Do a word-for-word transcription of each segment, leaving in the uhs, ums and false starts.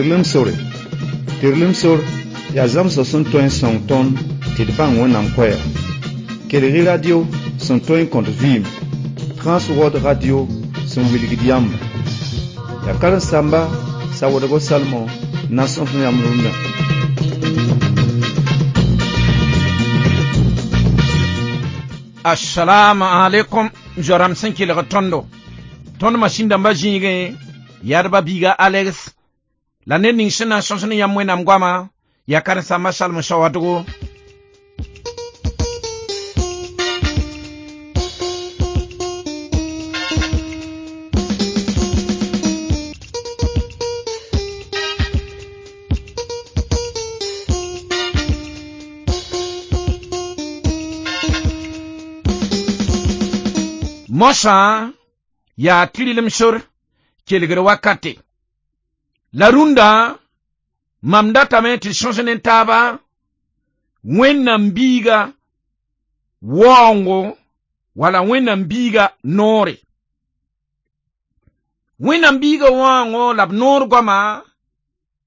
Tɩrlem sore. Tɩrlem sor yaa zãmsg sẽn tõe n sõng tõnd tɩ d bãng Wẽnnaam koɛɛga. Kelg-y radio sẽn tõe n kõt vɩɩm, Transworld Radio sẽn wilgd yãmba. Yaa karen-saamba Sawoodgo Salmon n na n sõs yãmb rũndã. Assalamu alaikum zoram sẽn kelg tõndo tõnd masĩn dãmbã zĩigẽ yadba biiga Alex la ned ning sẽn na n sõs ne yãmb Wẽnnaam goama yaa karen-saamba Salmo Sawadgo. Mosã yaa tɩrlem sor kelgr wakate. La rũndã mam datame tɩ sõs ne taaba Wẽnnaam biiga waoongo wala Wẽnnaam biiga noore. Wẽnnaam biiga waoongo la b noor goama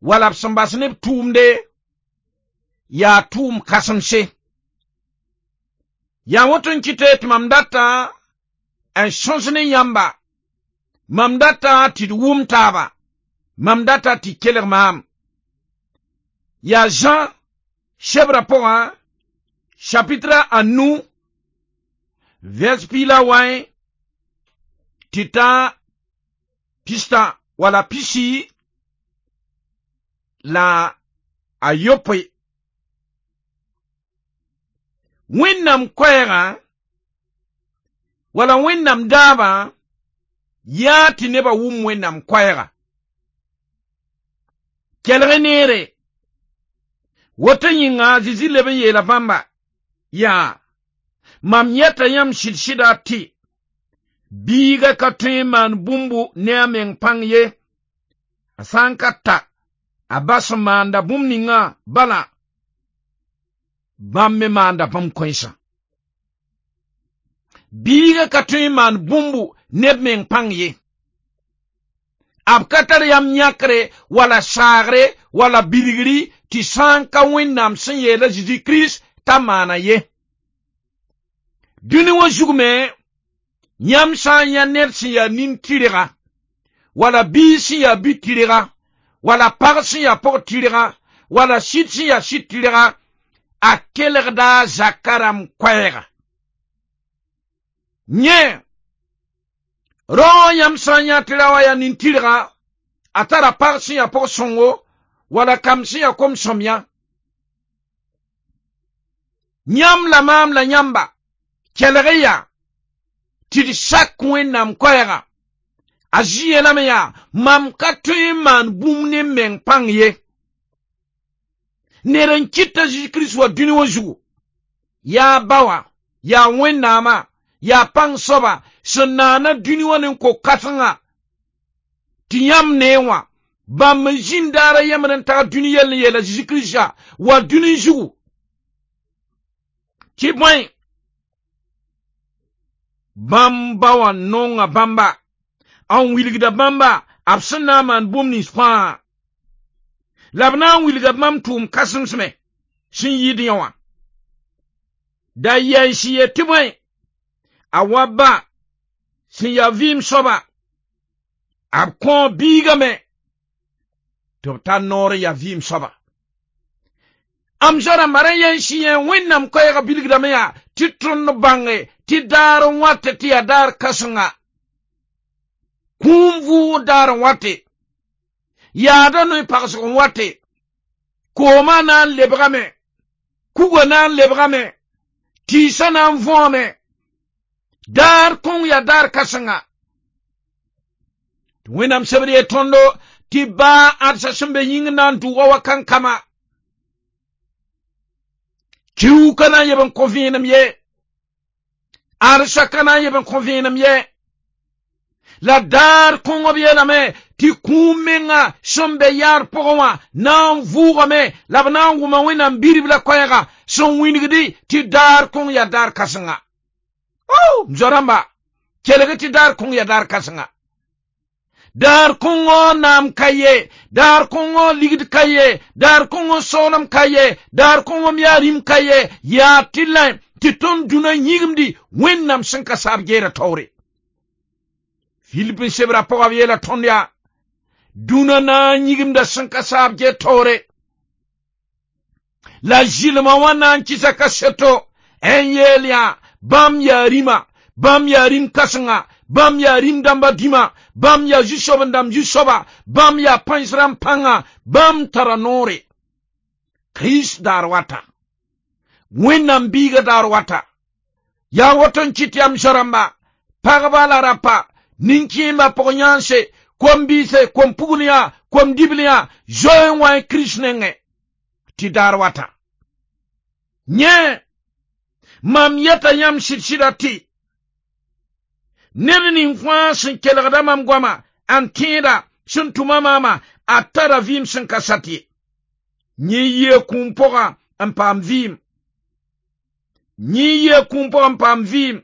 wala b sẽn bas ne b tʋʋmde yaa tʋʋm kãsemse. Yaa woto n kɩte tɩ mam data n sõs ne yãmba, mam data tɩ d wʋm taaba, mam data tɩ kelg maam. Yaa Jean sebrã pʋgã chapitre a nu vers piig la wã tɩ ta pistã wala pisi la a yopoe. Wẽnnaam koɛɛgã wala Wẽnnaam daabã yaa tɩ nebã wʋm Wẽnnaam koɛɛga. Kelg neere woto yĩnga Zezi leb n yeela bãmba yaa mam yɛta yãmb sɩd-sɩda tɩ biiga ka tõe n maan bũmbu ne a meng pãng ye, a sã n ka ta a ba sẽn maanda bũmb ninga bala bãmb me maanda bãmb kõensã. Biiga ka tõe n maan bũmbu ne b meng pãng ye. B ka tar yam yãkre wala saagre wala bilgri tɩ sã n ka Wẽnnaam sẽn yeela Zezi Kirist t'a maana ye. Dũni wã zug me yãmb sã n yã ned sẽn yaa nin-tɩrga wala biig sẽn yaa bi-tɩrga wala pag sẽn yaa pʋg-tɩrga wala sɩd sẽn yaa sɩd-tɩrga a kelgda a zaka rãmb koɛɛga. Yẽ rao yãmb sã n yã tɩ ra wa yaa nin-tɩrga a tara pag sẽn yaa pʋg-sõngo wala kam sẽn yaa kom-sõmyã. Yãmb la maam la yãmba kelg y yaa tɩ d sak Wẽnnaam koɛɛga. A zĩ yeelame yaa mam ka tõe n maan bũmb ne m meng pãng ye. Ned n kɩta Zezi Kirist wa dũni wã zugu yaa ba wã yaa Wẽnnaamã yaa pãng soaba sẽn naana dũni wã ne ko-kãsenga tɩ yãmb nee wã bãmb n zĩnd daar a yembr n tag dũni yell n yeela Zezi Kiristã wa dũni zugu tɩ bõe bãmb ba wã nonga bãmba n wilgda bãmba b sẽn na n maan bũmb nins fãa la b na n wilga bãmb tʋʋm kãsemsme sẽn yɩɩd yã wã. Da yɛns ye tɩ bõe a wa ba sẽn yaa vɩɩm soaba b kõo biigame tɩ b tar noor n yaa vɩɩm soaba. Am zoa-rãmba rã yɛns yẽ Wẽnnaam koɛɛgã bilgdame yaa tɩ tõnd bãnge tɩ daar n wate tɩ yaa daar kãsenga kũum vʋʋg daar n wate yaada noe-pagsg n wate koomã na n lebgame kuga na n lebgame tɩɩsã na n võome daar kõng yaa daar kãsenga. Tɩ Wẽnnaam sebr ye tõndo tɩ baa ãdsa sẽn be yĩng na n dʋʋga wa kankama kiuka na n yeb n kõ vẽenem ye, ãdsa ka na n yeb n kõ vẽenem ye. La daar kõng b yeelame tɩ kũum menga sẽn be yaad pʋgẽ wã na n vʋʋgame la b na n wʋma Wẽnnaam biribla koɛɛga sẽn wĩnigdi tɩ daar kõng yaa daar kãsenga. Oh, m zoa-rãmba kelg tɩ daar kõng yaa daar kãsenga. Daar kõngõ naam ka ye, daar kõngõ ligd ka ye, daar kõngõ soolem ka ye, daar kõngõ m yaa rĩm ka ye, yaa tɩ lẽ tɩ tõnd dũnã yĩgimdi Wẽnnaam sẽn ka saab geera taoore. Filip n sebra pʋga b yeela tõnd yaa dũnã na n yĩgimda sẽn ka saab geer taoore. La zɩlmã wã na n kɩsa kaseto n yeel yaa bãmb yaa rĩma, bãmb yaa rĩm kãsenga, bãmb yaa rĩm dãmba dĩma, bãmb yaa zu-soab-n-dãmb zu-soaba, bãmb yaa pãens rãmb pãnga, bãmb tara noore. Kirist daar wata, Wẽnnaam biiga daar wata, yaa woto n kɩt yam zã-rãmba, pagba la rapa, nin-kẽembã pʋg-yãanse, kom-biise, kom-pugl yã, kom-dibl yã, zoe n wa Kirist nengẽ tɩ daar wata. Yẽ mam yeta yãmb sɩd-sɩda tɩ ned ning fãa sẽn kelgda mam goama n tẽeda sẽn tʋma maama a tara vɩɩm sẽn ka sat ye. Yẽ yia kũum pʋga n paam vɩɩm. Yẽ yia kũum pʋga n paam vɩɩm.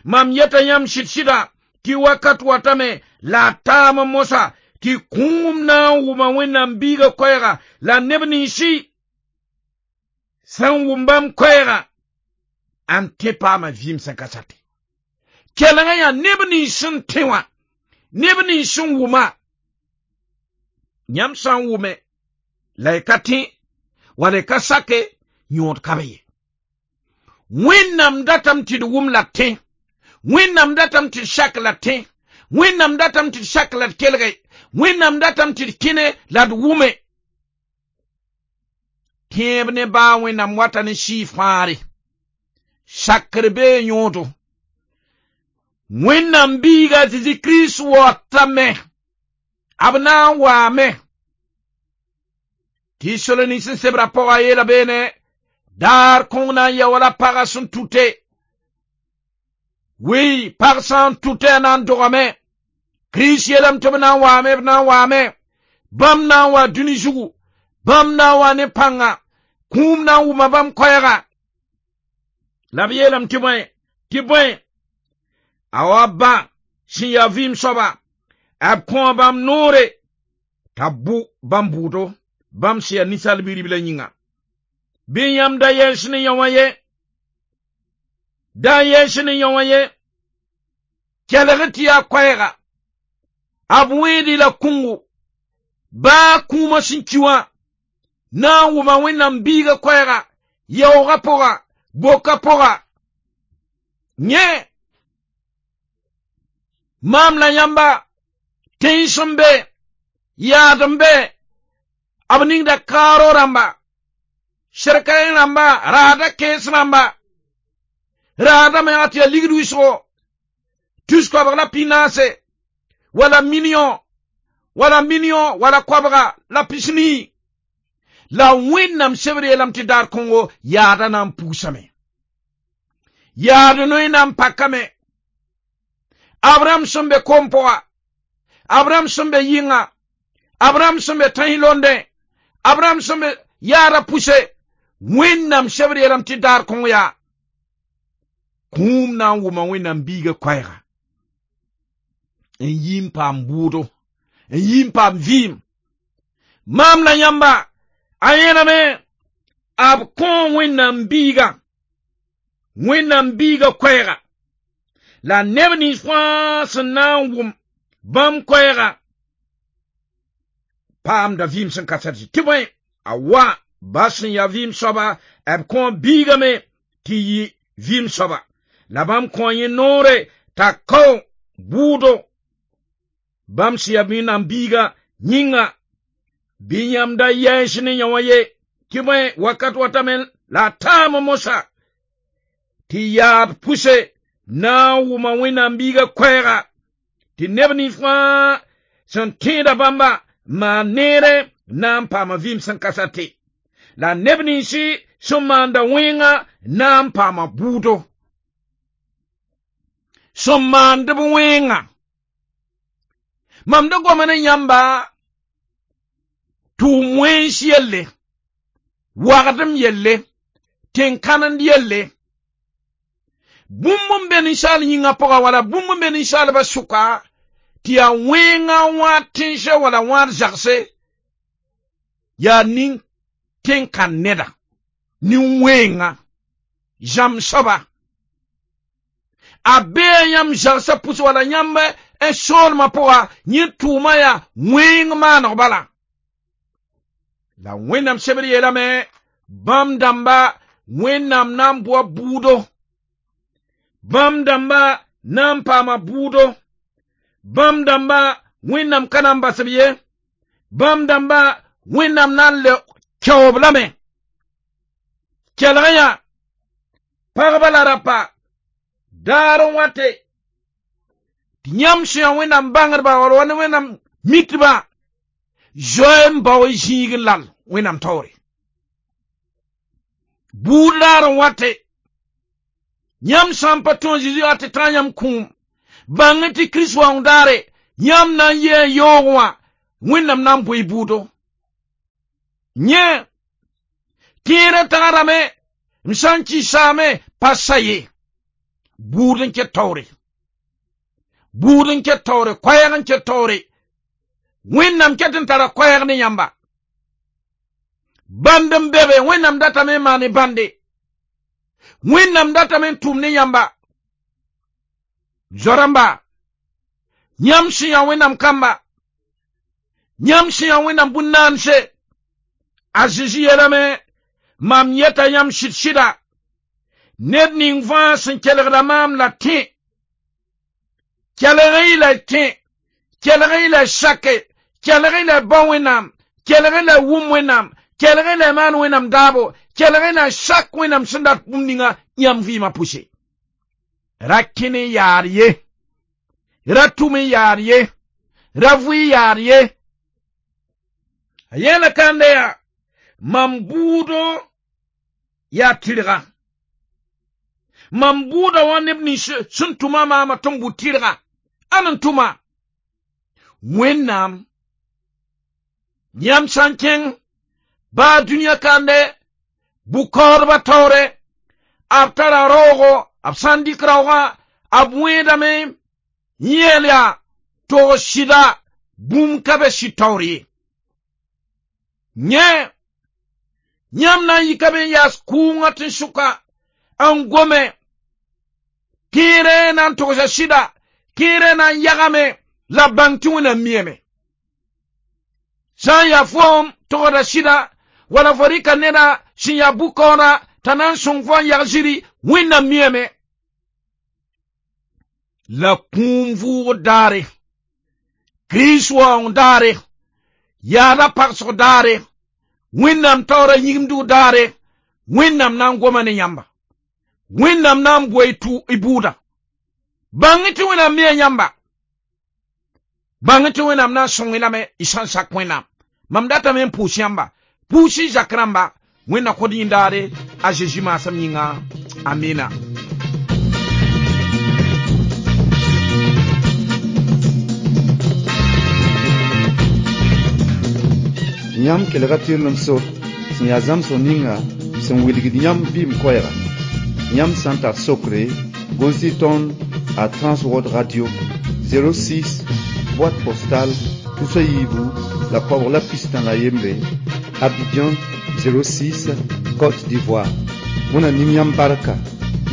Mam yeta yãmb sɩd-sɩda tɩ wakat watame la a taam mosa tɩ kũum na n wʋma Wẽnnaam biiga koɛɛga la neb ninsi sẽn wʋm bãmb koɛɛga n tẽ paama vɩɩm sẽn ka sate. Kelengã yaa neb nins sẽn tẽ wã, neb nins sẽn wʋma. Yãmb sã n wʋme la y ka tẽ wala y ka sake yõod ka be ye. Wẽnnaam datame tɩ d wʋm la d tẽ, Wẽnnaam datame tɩ d sak la d tẽ, Wẽnnaam datame tɩ d sak la d kelge, Wẽnnaam datame tɩ d kẽne la d wʋme. Tẽeb ne baa Wẽnnaam wata ne sɩɩ fãare, sakr bee yõodo. Wẽnnaam biiga Zezi Kirist waotame, b na n waame. Tɩ Tesalonik sẽn sebra pʋga yeela beene, daar kõng na n ya wala pagã sẽn tute. Wi, pag sã n tute a na n dogame. Kirist yeelame tɩ b na n waame, b na n waame. Bãmb na n wa dũni zugu, bãmb na n wa ne pãnga, kũum na n wʋma bãmb koɛɛga. La b yeelame tɩ bõe, tɩ bõe, a wa ba sẽn yaa vɩɩm soaba, b kõo bãmb noore t'a bʋ bãmb bʋʋdo, bãmb sẽn yaa ninsaal bi-ribla yĩnga. Bɩ yãmb da yɛs ne yã wã ye, da yɛs ne yã wã ye, kelg tɩ yaa koɛɛga, b wẽed la kũngo, baa kũumã sẽn ki wã, na n wʋma Wẽnnaam biiga koɛɛga, yaoogã pʋga, boka pʋga. Yẽ maam la yãmba tẽns n be, yaad n be, b ningda kaaro rãmba, sɛrka rãmba, raada kẽes rãmba, raada menga tɩ yaa ligd wɩsgo, tus koabg la pinaase, wala million, wala million, wala koabga la pisnii. La Wẽnnaam sebr yeelame tɩ daar kõngo yaada na n puusame. Yaad noe na n pakame. Abraham sẽn be kom pʋga, Abraham sẽn be yɩnga, Abraham sẽn be tãs londẽ, Abraham sẽn be yaada pʋse, Wẽnnaam sebr yeelame tɩ daar kõng yaa kũum na n wʋma Wẽnnaam biiga koɛɛga n yi n paam bʋʋdo, n yi n paam vɩɩm. Maam la yãmba a yẽlame b kõo Wẽnnaam biiga, Wẽnnaam biiga koɛɛga la neb nins fãa sẽn na n wʋm bãmb koɛɛga paamda vɩɩm sẽn ka sat tɩ bõe a wa ba sẽn yaa vɩɩm soaba b kõo biigame tɩ yɩ vɩɩm soaba la bãmb kõo yẽ noore t'a kao bʋʋdo bãmb sẽn yaa Wẽnnaam biiga yĩnga. Bɩ yãmb da yɛs ne yã wã ye tɩ bõe wakat watame la a taam mosa tɩ yaad pʋse na n wʋma Wẽnnaam biiga koɛɛga tɩ neb nins fãa sẽn tẽeda bãmba maan neere na n paama vɩɩm sẽn ka sate la neb ninsi sẽn maanda wẽnga na n paama bʋʋdo sẽn maand b wẽnga. Mam da goma ne yãmba tʋʋm wẽns yelle, wagdem yelle, tẽn-kãnend yelle, bũmb n be ninsaal yĩngã pʋga wala bũmb n be ninsaalbã sʋka Tɩ yaa wẽnga wãad tẽnsã wala wãad zagse yaa nin-tẽn-kãn neda nin-wẽnga zãmb soaba a bee yãmb zagsã pʋs wala yãmb n soolmã pʋga yẽ tʋʋma yaa wẽng maaneg bala la Wẽnnaam sebr yeelame bãmb dãmba Wẽnnaam na n boa buudo bãmb dãmba na n paama buudo bãmb dãmba Wẽnnaam ka na n bas b ye bãmb dãmba Wẽnnaam na n le kɛoob lame kelg yã pagba la rapa daar n wate tɩ yãmb sẽn yaa Wẽnnaam bãngdba wala wa ne Wẽnnaam mitba zoe n bao zĩig n lal Wẽnnaam taoore buud daar n wate yãmb sã n pa tõe Zeezi wa tɩ tã yãmb kũum bãng tɩ Kirist waoong daare yãmb na n yee n yaoog wã Wẽnnaam na n bʋ y buudo yẽ tẽedã tagsdame m sã n kɩ saame pa sa ye buud n ket taoore buud n ket taoore koɛɛg n ket taoore Wẽnnaam ket n tara koɛɛg ne yãmba bãnd n be be Wẽnnaam datame n maan bãnde Wẽnnaam datame n tʋm ne yãmba zo-rãmba yãmb sẽn yaa Wẽnnaam kamba yãmb sẽn yaa Wẽnnaam bũn-naanse a Zezi yeelame mam yeta yãmb sɩd-sɩda ned ning fãa sẽn kelgda maam la tẽ kelg-y la tẽ kelg-y la sake kelg-y la bao Wẽnnaam kelg-y la wʋm Wẽnnaam kelg-y la maan Wẽnnaam daabo kelg-y la sak Wẽnnaam sẽn dat bũmb ninga yãmb vɩɩmã pʋse ra kẽ n yaad ye ra tʋm n yaad ye ra vʋɩ yaad ye a yeela kãnde yaa mam buudo yaa tɩrga mam buuda wã neb nins sẽn tʋma maama tɩ n bʋ tɩrga ãn n tʋma Wẽnnaam yãmb sã n kẽng baa dũniyã kande bʋ-kaoodbã taoore b tara raoogo b sã n dɩk raoogã b wẽedame yeel yaa tog sɩda bũmb ka be sɩd taoor ye yẽ yãmb na n yikame n yaas kʋʋngã tẽn-sʋka n gome kẽere na n togsa sɩda kẽere na n yagame la bãng tɩ Wẽnnaam miame sã n yaa foom togda sɩda wala fo rɩka neda sẽn yaa bʋ-kaooda t'a na n sõng fo n yag zĩri Wẽnnaam miame la kũum vʋʋgd daare Kirist waoong daare yaada pagsg daare Wẽnnaam taoora yĩgimdg daare Wẽnnaam na n goma ne yãmba Wẽnnaam na n boa y bʋʋda bãng tɩ Wẽnnaam mia yãmba bãng tɩ Wẽnnaam na n sõng-y lame y sã n sak Wẽnnaam mam datame n pʋʋs yãmba pʋʋs y zak rãmba Wẽnna kod yĩndaare a Zeezi maasem yĩnga amina Yãmb kelga tɩrlem sor sẽn yaa zãmsg ninga sẽn wilgd yãmb vɩɩm koɛɛga yãmb sã n tar sokre gʋls-y tõnd a Transworld Radio zéro six boîte postale tus a yiibu la koabg la pistã la yembre Abidjan zéro six Côte d'Ivoire. Wẽnna ning yãmb barka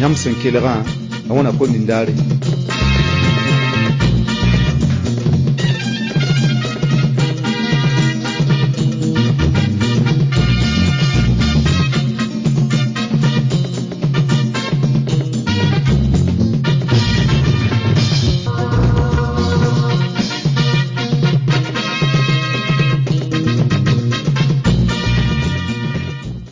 yãmb sẽn kelgã a wẽna kom nindaare.